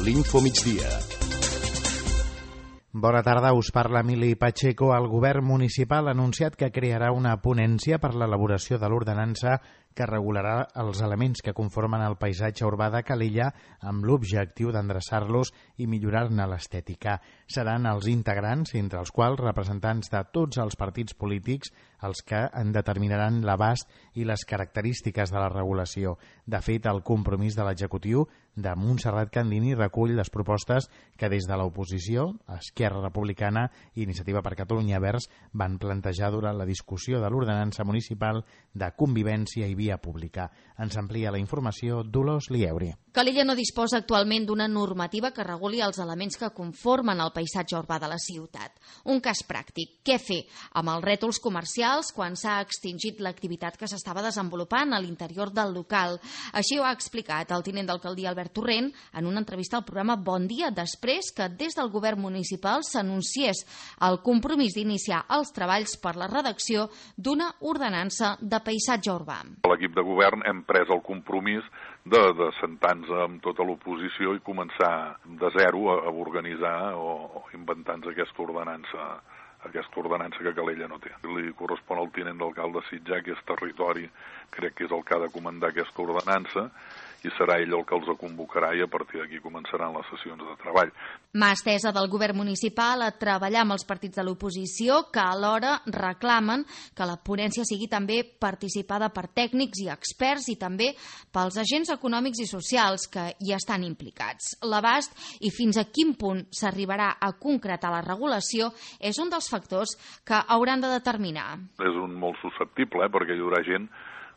l'Infomigdia. Bona tarda, us parla Emili Pacheco. El govern municipal ha anunciat que crearà una ponència per l'elaboració de l'ordenança que regularà els elements que conformen el paisatge urbà de Calella amb l'objectiu d'endreçar-los i millorar-ne l'estètica. Seran els integrants, entre els quals representants de tots els partits polítics, els que en determinaran l'abast i les característiques de la regulació. De fet, el compromís de l'executiu de Montserrat Candini recull les propostes que des de l'oposició, Esquerra Republicana i Iniciativa per Catalunya Verds van plantejar durant la discussió de l'ordenança municipal de convivència i via pública. Ens amplia la informació Dolors Lieuri. Calella no disposa actualment d'una normativa que reguli els elements que conformen el paisatge urbà de la ciutat. Un cas pràctic. Què fer amb els rètols comercials quan s'ha extingit l'activitat que s'estava desenvolupant a l'interior del local? Així ho ha explicat el tinent d'alcaldia Albert Torrent en una entrevista al programa Bon Dia, després que des del govern municipal s'anunciés el compromís d'iniciar els treballs per la redacció d'una ordenança de paisatge urbà. L'equip de govern hem pres el compromís de sentar-nos amb tota l'oposició i començar de zero a organitzar o inventar-nos aquesta ordenança que Calella no té. Li correspon al tinent d'alcalde Sitjar, que és territori, crec que és el que ha de comandar aquesta ordenança, i serà ell el que els convocarà i a partir d'aquí començaran les sessions de treball. Mà estesa del govern municipal a treballar amb els partits de l'oposició que alhora reclamen que la ponència sigui també participada per tècnics i experts i també pels agents econòmics i socials que hi estan implicats. L'abast i fins a quin punt s'arribarà a concretar la regulació és un dels factors que hauran de determinar. És un molt susceptible, perquè hi haurà gent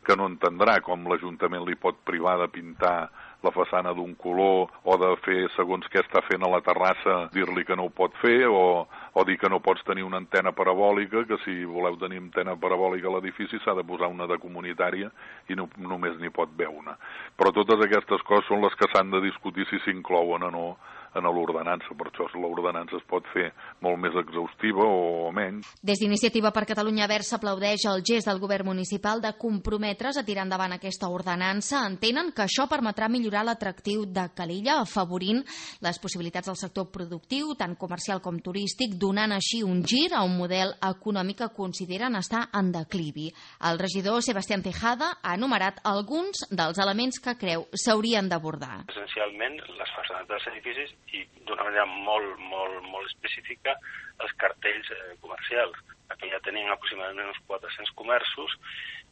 que no entendrà com l'Ajuntament li pot privar de pintar la façana d'un color o de fer segons què està fent a la terrassa, dir-li que no ho pot fer o dir que no pots tenir una antena parabòlica, que si voleu tenir antena parabòlica a l'edifici s'ha de posar una de comunitària i no, només n'hi pot haver una. Però totes aquestes coses són les que s'han de discutir si s'inclouen o no en l'ordenança, per això l'ordenança es pot fer molt més exhaustiva o menys. Des d'Iniciativa per Catalunya Verds s'aplaudeix el gest del govern municipal de comprometre's a tirar endavant aquesta ordenança. Entenen que això permetrà millorar l'atractiu de Calella, afavorint les possibilitats del sector productiu, tant comercial com turístic, donant així un gir a un model econòmic que consideren estar en declivi. El regidor Sebastián Tejada ha enumerat alguns dels elements que creu s'haurien d'abordar. Essencialment, les façanes dels edificis i d'una manera molt específica els cartells comercials. Aquí ja tenim aproximadament uns 400 comerços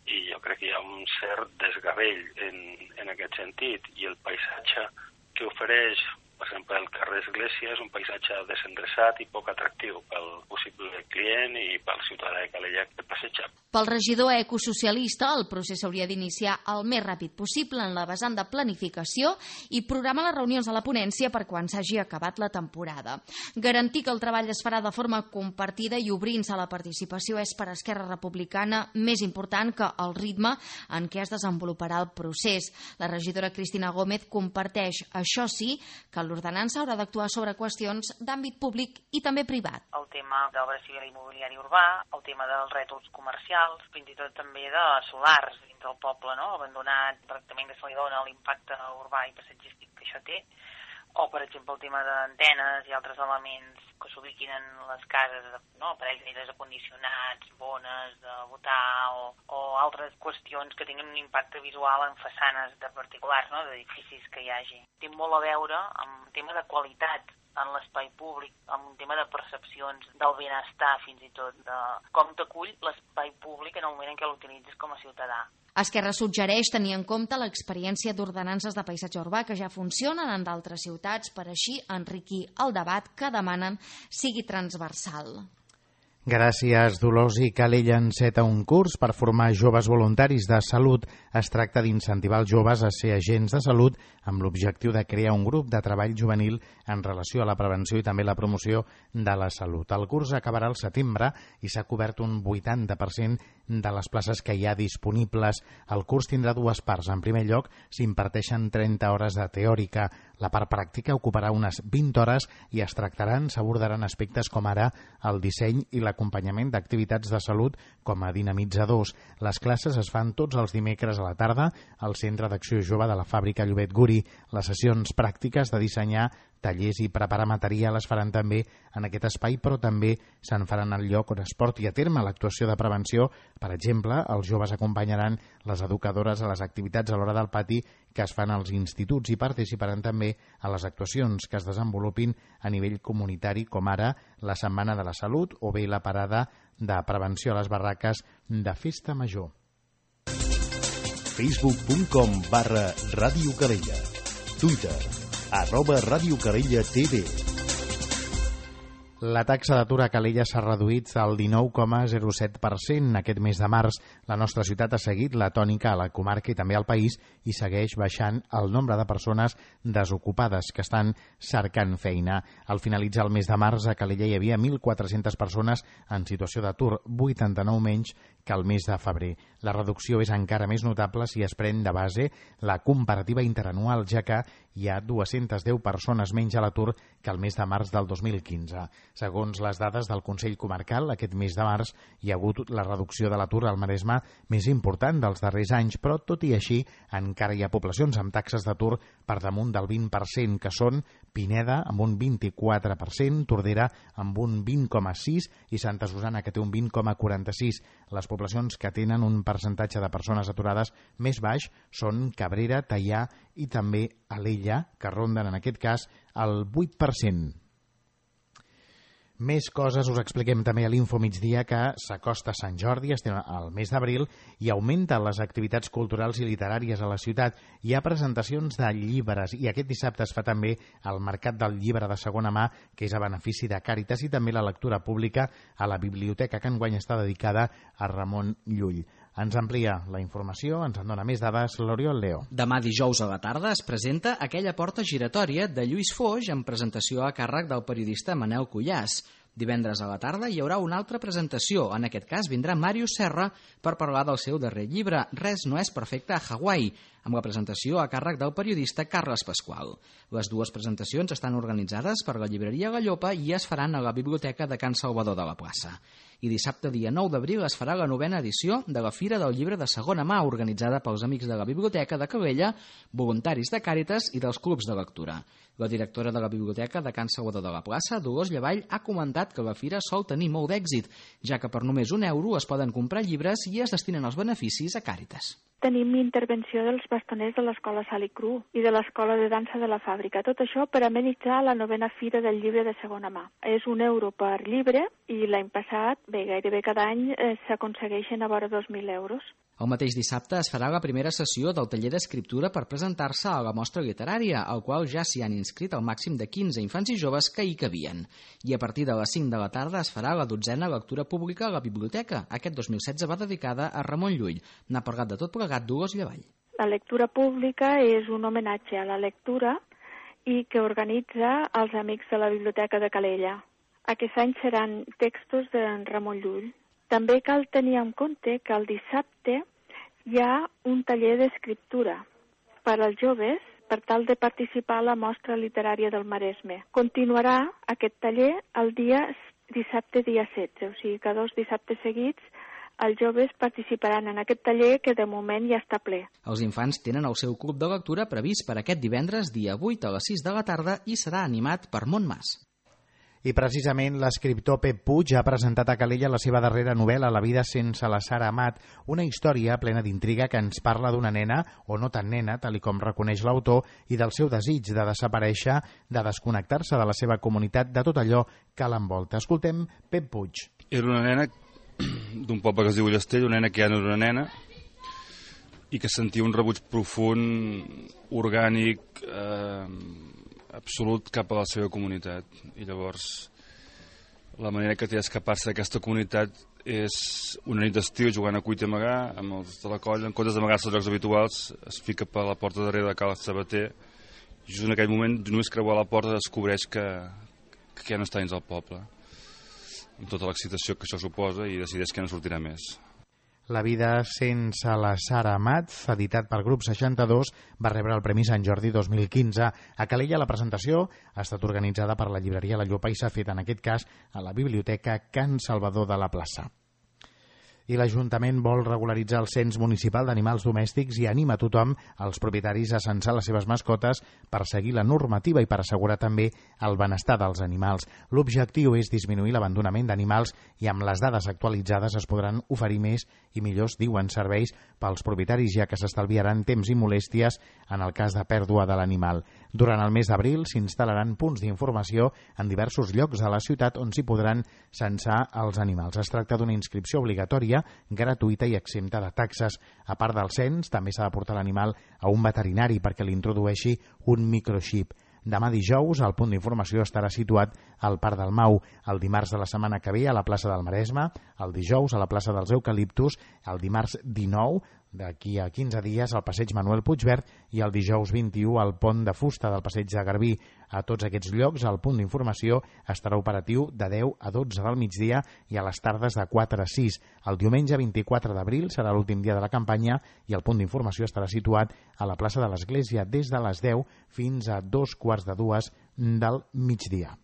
i jo crec que hi ha un cert desgavell en aquest sentit, i el paisatge que ofereix, per exemple, el carrer Església és un paisatge desendreçat i poc atractiu pel possible client i pel ciutadà de Calella que passeja. Pel regidor ecosocialista, el procés s'hauria d'iniciar el més ràpid possible en la vessant de planificació i programar les reunions a la ponència per quan s'hagi acabat la temporada. Garantir que el treball es farà de forma compartida i obrint-se a la participació és per Esquerra Republicana més important que el ritme en què es desenvoluparà el procés. La regidora Cristina Gómez comparteix, això sí, que l'ordenança haurà d'actuar sobre qüestions d'àmbit públic i també privat. El tema d'obra civil i immobiliari urbà, el tema dels rètols comercials, fins i tot també de solars dins del poble, no? Abandonat, el tractament que se li dona, l'impacte urbà i passatgístic que això té, o per exemple el tema d'antenes i altres elements que s'ubiquin en les cases, no? Aparells d'aires acondicionats, bones de botar o altres qüestions que tinguin un impacte visual en façanes de particulars, no? D'edificis que hi hagi. Té molt a veure amb el tema de qualitat en l'espai públic, amb un tema de percepcions del benestar, fins i tot, de com t'acull l'espai públic en el moment en què l'utilitzes com a ciutadà. Esquerra suggereix tenir en compte l'experiència d'ordenances de paisatge urbà que ja funcionen en d'altres ciutats per així enriquir el debat que demanen sigui transversal. Gràcies, Dolors. I Calella enceta un curs per formar joves voluntaris de salut. Es tracta d'incentivar els joves a ser agents de salut amb l'objectiu de crear un grup de treball juvenil en relació a la prevenció i també la promoció de la salut. El curs acabarà al setembre i s'ha cobert un 80% de les places que hi ha disponibles. El curs tindrà dues parts. En primer lloc, s'imparteixen 30 hores de teòrica. La part pràctica ocuparà unes 20 hores i s'abordaran aspectes com ara el disseny i l'acompanyament d'activitats de salut com a dinamitzadors. Les classes es fan tots els dimecres a la tarda al Centre d'Acció Jove de la Fàbrica Llobet Guri. Les sessions pràctiques de dissenyar tallers i preparar material es faran també en aquest espai, però també se'n faran al lloc on es porti a terme l'actuació de prevenció. Per exemple, els joves acompanyaran les educadores a les activitats a l'hora del pati que es fan als instituts i participaran també a les actuacions que es desenvolupin a nivell comunitari, com ara la Setmana de la Salut o bé la parada de prevenció a les barraques de Festa Major. Facebook.com/Ràdio Calella. Twitter @Ràdio Calella TV. La taxa d'atur a Calella s'ha reduït al 19,07% aquest mes de març. La nostra ciutat ha seguit la tònica a la comarca i també al país i segueix baixant el nombre de persones desocupades que estan cercant feina. Al finalitzar el mes de març a Calella hi havia 1.400 persones en situació d'atur, 89 menys que el mes de febrer. La reducció és encara més notable si es pren de base la comparativa interanual, ja que hi ha 210 persones menys a l'atur que el mes de març del 2015. Segons les dades del Consell Comarcal, aquest mes de març hi ha hagut la reducció de l'atur al Maresme més important dels darrers anys, però tot i així encara hi ha poblacions amb taxes d'atur per damunt del 20%, que són Pineda amb un 24%, Tordera amb un 20,6% i Santa Susana, que té un 20,46%. Les poblacions que tenen un percentatge de persones aturades més baix són Cabrera, Teià i també Alella, que ronden en aquest cas el 8%. Més coses us expliquem també a l'Info Migdia, que s'acosta Sant Jordi, estem al mes d'abril, i augmenten les activitats culturals i literàries a la ciutat. Hi ha presentacions de llibres i aquest dissabte es fa també el Mercat del Llibre de segona mà, que és a benefici de Càritas, i també la lectura pública a la biblioteca, que enguany està dedicada a Ramon Llull. Ens amplia la informació, ens en dona més dades l'Oriol Leo. Demà dijous a la tarda es presenta Aquella porta giratòria de Lluís Foix en presentació a càrrec del periodista Manel Cuyàs. Divendres a la tarda hi haurà una altra presentació. En aquest cas vindrà Màrius Serra per parlar del seu darrer llibre, Res no és perfecte a Hawaii, amb la presentació a càrrec del periodista Carles Pasqual. Les dues presentacions estan organitzades per la llibreria La Llopa i es faran a la Biblioteca de Can Salvador de la Plaça. I dissabte, dia 9 d'abril, es farà la 9ª edició de la Fira del Llibre de segona mà, organitzada pels amics de la Biblioteca de Calella, voluntaris de Càritas i dels clubs de lectura. La directora de la Biblioteca de Can Salvador de la Plaça, Dolors Llavall, ha comentat que la fira sol tenir molt d'èxit, ja que per només €1 es poden comprar llibres i es destinen els beneficis a Càritas. Tenim intervenció dels bastoners de l'Escola Sal i Cru i de l'Escola de Dansa de la Fàbrica. Tot això per amenitzar la 9ª Fira del Llibre de segona mà. És €1 per llibre i l'any passat, gairebé cada any s'aconsegueixen a vora €2.000. El mateix dissabte es farà la primera sessió del taller d'escriptura per presentar-se a la mostra literària, al qual ja s'hi han inscrit el màxim de 15 infants i joves que hi cabien. I a partir de les 5 de la tarda es farà la 12ª lectura pública a la biblioteca. Aquest 2016 va dedicada a Ramon Llull. N'ha parlat de tot plegat Dolors Llavall. La lectura pública és un homenatge a la lectura i que organitza els amics de la Biblioteca de Calella. Aquest any seran textos de Ramon Llull. També cal tenir en compte que el dissabte hi ha un taller d'escriptura per als joves per tal de participar a la mostra literària del Maresme. Continuarà aquest taller el dissabte dia 16, o sigui que 2 dissabtes seguits els joves participaran en aquest taller que de moment ja està ple. Els infants tenen el seu club de lectura previst per aquest divendres dia 8 a les 6 de la tarda i serà animat per Montmas. I precisament l'escriptor Pep Puig ha presentat a Calella la seva darrera novel·la, La vida sense la Sara Amat, una història plena d'intriga que ens parla d'una nena, o no tan nena, tal com reconeix l'autor, i del seu desig de desaparèixer, de desconnectar-se de la seva comunitat, de tot allò que l'envolta. Escoltem Pep Puig. Era una nena d'un poble que es diu Llastell, una nena que ja no era una nena, i que sentia un rebuig profund, orgànic, absolut cap a la seva comunitat. I llavors la manera que té d'escapar-se d'aquesta comunitat és una nit d'estiu jugant a cuit i amagar amb els de la colla, en comptes d'amagar-se als llocs habituals es fica per la porta darrere de Cal Sabater i just en aquell moment només creuar la porta descobreix que ja no està dins del poble, amb tota l'excitació que això suposa, i decideix que no sortirà més. La vida sense la Sara Amat, editat pel grup 62, va rebre el Premi Sant Jordi 2015. A Calella la presentació ha estat organitzada per la llibreria La Llopa i s'ha fet en aquest cas a la Biblioteca Can Salvador de la Plaça. I l'Ajuntament vol regularitzar el cens municipal d'animals domèstics i anima tothom, els propietaris, a censar les seves mascotes per seguir la normativa i per assegurar també el benestar dels animals. L'objectiu és disminuir l'abandonament d'animals i amb les dades actualitzades es podran oferir més i millors, diuen, serveis pels propietaris, ja que s'estalviaran temps i molèsties en el cas de pèrdua de l'animal. Durant el mes d'abril s'instal·laran punts d'informació en diversos llocs de la ciutat on s'hi podran censar els animals. Es tracta d'una inscripció obligatòria, gratuïta i exempta de taxes. A part del cens, també s'ha de portar l'animal a un veterinari perquè li introdueixi un microxip. Demà dijous, el punt d'informació estarà situat al Parc del Mau, el dimarts de la setmana que ve a la plaça del Maresme, el dijous a la plaça dels Eucaliptus, el dimarts 19, d'aquí a 15 dies, al passeig Manuel Puigverd i el dijous 21 al pont de fusta del passeig de Garbí. A tots aquests llocs, el punt d'informació estarà operatiu de 10 a 12 del migdia i a les tardes de 4 a 6. El diumenge 24 d'abril serà l'últim dia de la campanya i el punt d'informació estarà situat a la plaça de l'Església des de les 10 fins a 2:45 del migdia.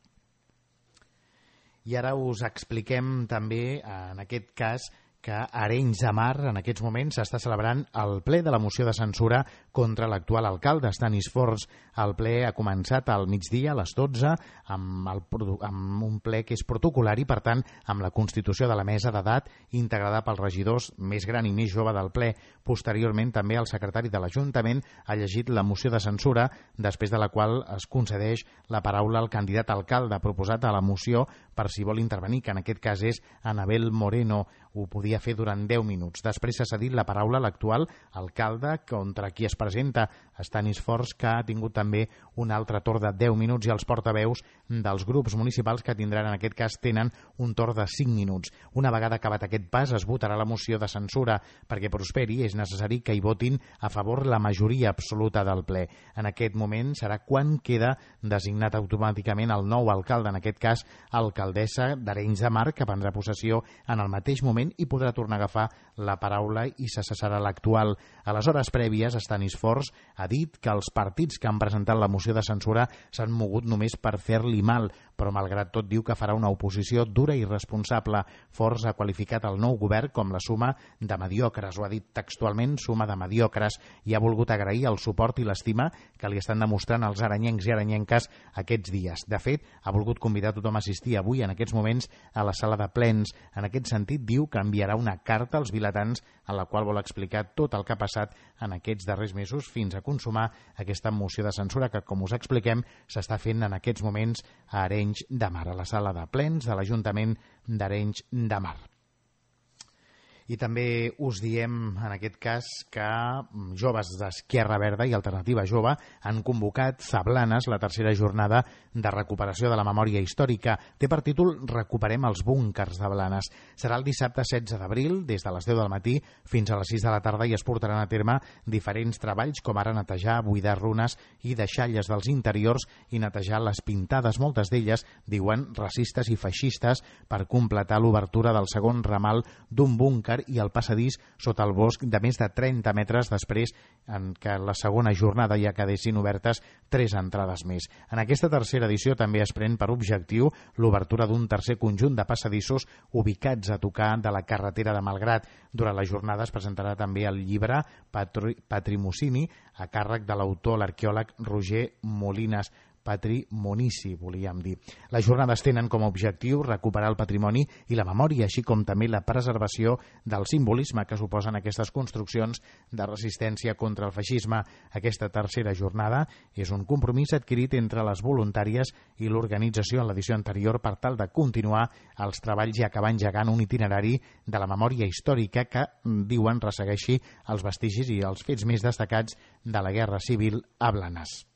I ara us expliquem també, en aquest cas, que a Arenys de Mar en aquests moments s'està celebrant el ple de la moció de censura contra l'actual alcalde, Stanis Forns. El ple ha començat al migdia, a les 12, amb un ple que és protocolari, per tant, amb la constitució de la mesa d'edat integrada pels regidors més gran i més jove del ple. Posteriorment, també el secretari de l'Ajuntament ha llegit la moció de censura, després de la qual es concedeix la paraula al candidat alcalde proposat a la moció per si vol intervenir, que en aquest cas és Anabel Moreno. Ho podia fer durant 10 minuts. Després s'ha cedit la paraula a l'actual alcalde, contra qui es presenta, Stanis Forns, que ha tingut també un altre torn de 10 minuts, i els portaveus dels grups municipals, que tindran, en aquest cas, tenen un torn de 5 minuts. Una vegada acabat aquest pas, es votarà la moció de censura. Perquè prosperi, és necessari que hi votin a favor la majoria absoluta del ple. En aquest moment serà quan queda designat automàticament el nou alcalde, en aquest cas, alcaldessa d'Arenys de Mar, que prendrà possessió en el mateix moment i podrà tornar a agafar la paraula i se cessarà l'actual. A les hores prèvies, Stanis Forns ha dit que els partits que han presentat la moció de censura s'han mogut només per fer-li mal, però malgrat tot diu que farà una oposició dura i responsable. Forns ha qualificat el nou govern com la suma de mediocres, ho ha dit textualment, suma de mediocres, i ha volgut agrair el suport i l'estima que li estan demostrant els aranyencs i aranyenques aquests dies. De fet, ha volgut convidar tothom a assistir avui, en aquests moments, a la sala de plens. En aquest sentit, diu que enviarà una carta als vilatans en la qual vol explicar tot el que ha passat en aquests darrers mesos fins a consumar aquesta moció de censura que, com us expliquem, s'està fent en aquests moments a Arenys de Mar, a la sala de plens de l'Ajuntament d'Arenys de Mar. I també us diem, en aquest cas, que joves d'Esquerra Verda i Alternativa Jove han convocat a Blanes la tercera jornada de recuperació de la memòria històrica. Té per títol Recuperem els búnkers de Blanes. Serà el dissabte 16 d'abril, des de les 10 del matí fins a les 6 de la tarda, i es portaran a terme diferents treballs, com ara netejar, buidar runes i deixalles dels interiors i netejar les pintades, moltes d'elles, diuen, racistes i feixistes, per completar l'obertura del segon ramal d'un búnquer i el passadís sota el bosc de més de 30 metres després en què la segona jornada ja quedessin obertes 3 entrades més. En aquesta tercera edició també es pren per objectiu l'obertura d'un tercer conjunt de passadissos ubicats a tocar de la carretera de Malgrat. Durant la jornada es presentarà també el llibre Patrimocini a càrrec de l'autor, l'arqueòleg Roger Molines. Patrimonici, volíem dir. Les jornades tenen com a objectiu recuperar el patrimoni i la memòria, així com també la preservació del simbolisme que suposen aquestes construccions de resistència contra el feixisme. Aquesta tercera jornada és un compromís adquirit entre les voluntàries i l'organització en l'edició anterior per tal de continuar els treballs i acabar engegant un itinerari de la memòria històrica que, diuen, ressegueixi els vestigis i els fets més destacats de la Guerra Civil a Blanes.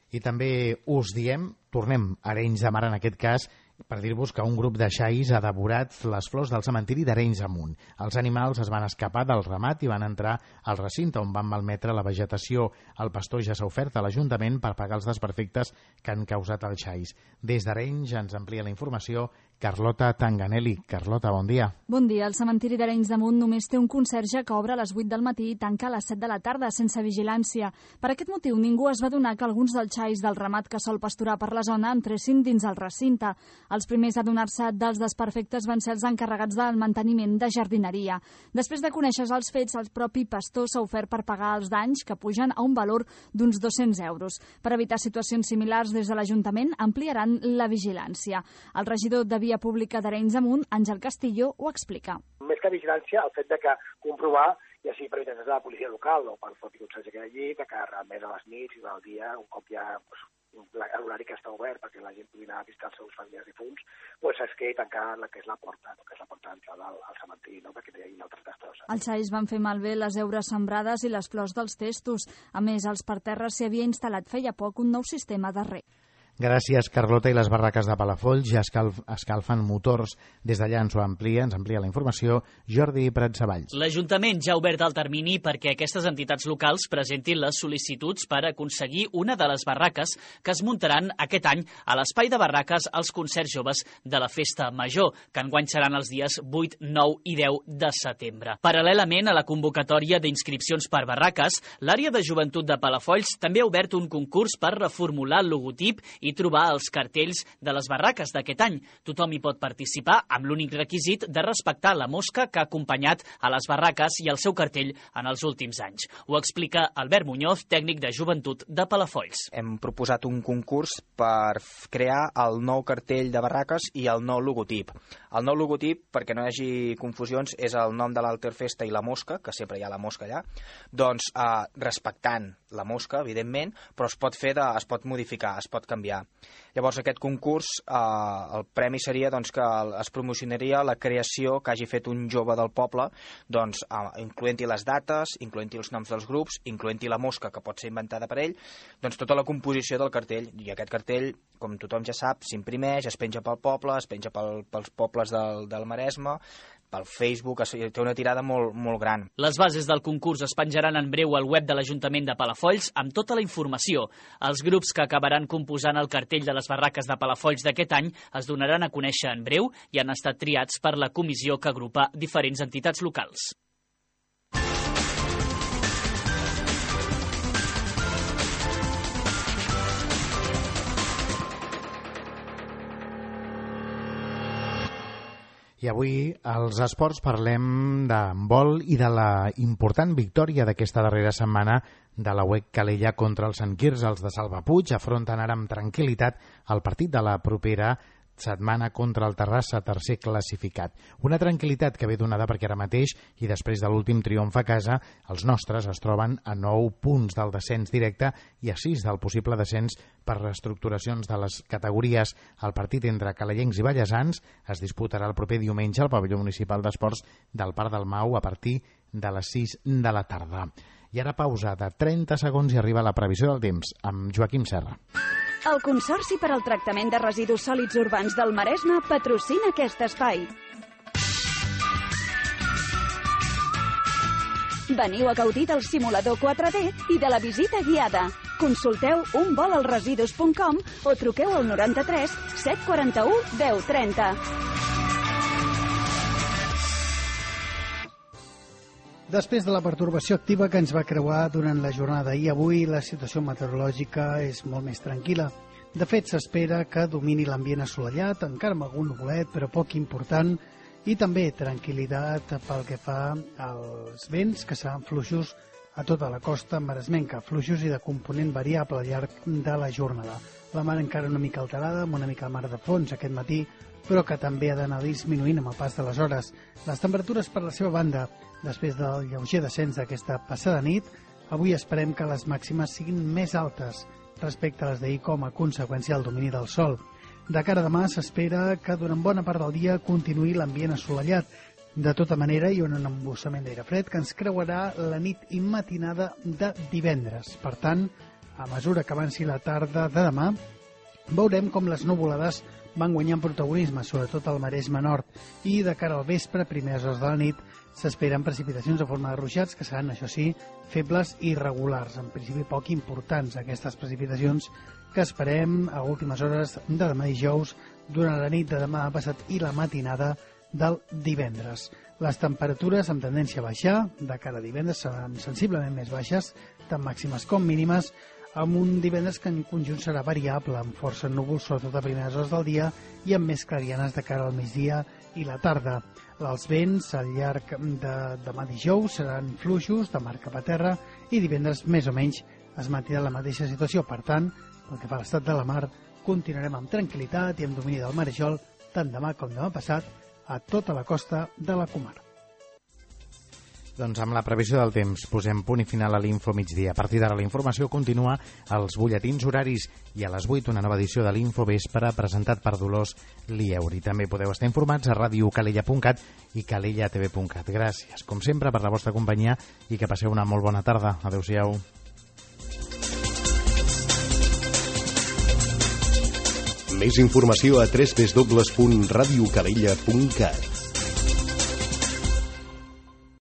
I també us diem, tornem a Arenys de Mar en aquest cas, per dir-vos que un grup de xais ha devorat les flors del cementiri d'Arenys Amunt. Els animals es van escapar del ramat i van entrar al recinte on van malmetre la vegetació. El pastor ja s'ha ofert a l'Ajuntament per pagar els desperfectes que han causat els xais. Des d'Arenys ens amplia la informació Carlota Tanganelli. Carlota, bon dia. Bon dia. El cementiri d'Arenys de Munt només té un conserge que obre a les 8 del matí i tanca a les 7 de la tarda, sense vigilància. Per aquest motiu, ningú es va adonar que alguns dels xais del ramat que sol pasturar per la zona entressin dins el recinte. Els primers a adonar-se dels desperfectes van ser els encarregats del manteniment de jardineria. Després de conèixer els fets, el propi pastor s'ha ofert per pagar els danys, que pugen a un valor d'uns 200 euros. Per evitar situacions similars, des de l'Ajuntament ampliaran la vigilància. El regidor de Via Pública d'Arenys de Munt, Àngel Castillo, ho explica. Més que vigilància, el fet de que comprovar, ja sigui per mitjà de la policia local o pel propi conserge que hi ha allí, de que realment a les nits i al dia, un cop hi ha l'horari que està obert perquè la gent pugui anar a visitar els seus familiars difunts, es quedi tancada la que és la porta, d'entrada al cementiri, perquè no hi hagi altres destrosses. Els xais van fer malbé les heures sembrades i les flors dels testos. A més, als parterres s'hi havia instal·lat feia poc un nou sistema de reg. Gràcies, Carlota. I les barraques de Palafolls ja escalfen motors. Des d'allà ens amplia la informació Jordi Pratsavalls. L'Ajuntament ja ha obert el termini perquè aquestes entitats locals presentin les sol·licituds per aconseguir una de les barraques que es muntaran aquest any a l'espai de barraques als concerts joves de la Festa Major, que enguany seran els dies 8, 9 i 10 de setembre. Paral·lelament a la convocatòria d'inscripcions per barraques, l'àrea de joventut de Palafolls també ha obert un concurs per reformular el logotip i trobar els cartells de les barraques d'aquest any. Tothom hi pot participar amb l'únic requisit de respectar la mosca que ha acompanyat a les barraques i el seu cartell en els últims anys. Ho explica Albert Muñoz, tècnic de joventut de Palafolls. Hem proposat un concurs per crear el nou cartell de barraques i el nou logotip. El nou logotip, perquè no hi hagi confusions, és el nom de l'Alterfesta i la mosca, que sempre hi ha la mosca allà, doncs respectant la mosca, evidentment, però es pot modificar, es pot canviar. Llavors, aquest concurs, el premi seria que es promocionaria la creació que hagi fet un jove del poble, incloent-hi les dates, incloent-hi els noms dels grups, incloent-hi la mosca, que pot ser inventada per ell, tota la composició del cartell. I aquest cartell, com tothom ja sap, s'imprimeix, es penja pel poble, es penja pels pobles del Maresme, pel Facebook, té una tirada molt gran. Les bases del concurs es penjaran en breu al web de l'Ajuntament de Palafolls amb tota la informació. Els grups que acabaran composant el cartell de les barraques de Palafolls d'aquest any es donaran a conèixer en breu i han estat triats per la comissió que agrupa diferents entitats locals. I avui, als esports, parlem d'handbol i de la important victòria d'aquesta darrera setmana de la UEC Calella contra el Sant Quirze. Els de Salva Puig afronten ara amb tranquil·litat el partit de la propera setmana contra el Terrassa, tercer classificat. Una tranquil·litat que ve donada perquè ara mateix, i després de l'últim triomf a casa, els nostres es troben a 9 punts del descens directe i a 6 del possible descens per reestructuracions de les categories. El partit entre calellencs i ballesans es disputarà el proper diumenge al pavelló municipal d'esports del Parc del Mau a partir de les 6 de la tarda. I ara pausa de 30 segons i arriba la previsió del temps amb Joaquim Serra. El Consorci per al Tractament de Residus Sòlids Urbans del Maresme patrocina aquest espai. Veniu a gaudir del simulador 4D i de la visita guiada. Consulteu unvolalresidus.com o truqueu al 93 741 1030. Després de la pertorbació activa que ens va creuar durant la jornada d'ahir, avui la situació meteorològica és molt més tranquil·la. De fet, s'espera que domini l'ambient assolellat, encara amb algun nuvolet, però poc important, i també tranquil·litat pel que fa als vents, que seran fluixos a tota la costa maresmenca, fluixos i de component variable al llarg de la jornada. La mar encara una mica alterada, amb una mica de mar de fons aquest matí, però que també ha d'anar disminuint amb el pas de les hores. Les temperatures, per la seva banda, després del lleuger descens d'aquesta passada nit, avui esperem que les màximes siguin més altes respecte a les d'ahir com a conseqüència del domini del sol. De cara a demà s'espera que durant bona part del dia continuï l'ambient assolellat. De tota manera, hi ha un embussament d'aire fred que ens creuarà la nit i matinada de divendres. Per tant, a mesura que avanci la tarda de demà, veurem com les nuvolades van guanyant protagonisme, sobretot al Maresme Nord, i de cara al vespre, primeres hores de la nit, s'esperen precipitacions de forma de ruixats que seran, això sí, febles i irregulars. En principi poc importants aquestes precipitacions que esperem a últimes hores de demà dijous, durant la nit de demà passat i la matinada del divendres. Les temperatures amb tendència a baixar de cara a divendres seran sensiblement més baixes, tant màximes com mínimes, amb un divendres que en conjunt serà variable, amb força núvols sobretot a primeres hores del dia i amb més clarianes de cara al migdia i la tarda. Els vents al llarg de demà dijous seran fluixos de mar cap a terra i divendres més o menys es mantindrà la mateixa situació. Per tant, pel que fa a l'estat de la mar, continuarem amb tranquil·litat i amb domini del marejol tant demà com demà passat a tota la costa de la comarca. Doncs amb la previsió del temps posem punt i final a l'Info migdia. A partir d'ara la informació continua als butlletins horaris i a les 8 una nova edició de l'Info Vespre presentat per Dolors Lieuri. També podeu estar informats a radiocalella.cat i calellatv.cat. Gràcies, com sempre, per la vostra companyia i que passeu una molt bona tarda. Adéu-siau. Més informació a www.radiocalella.cat.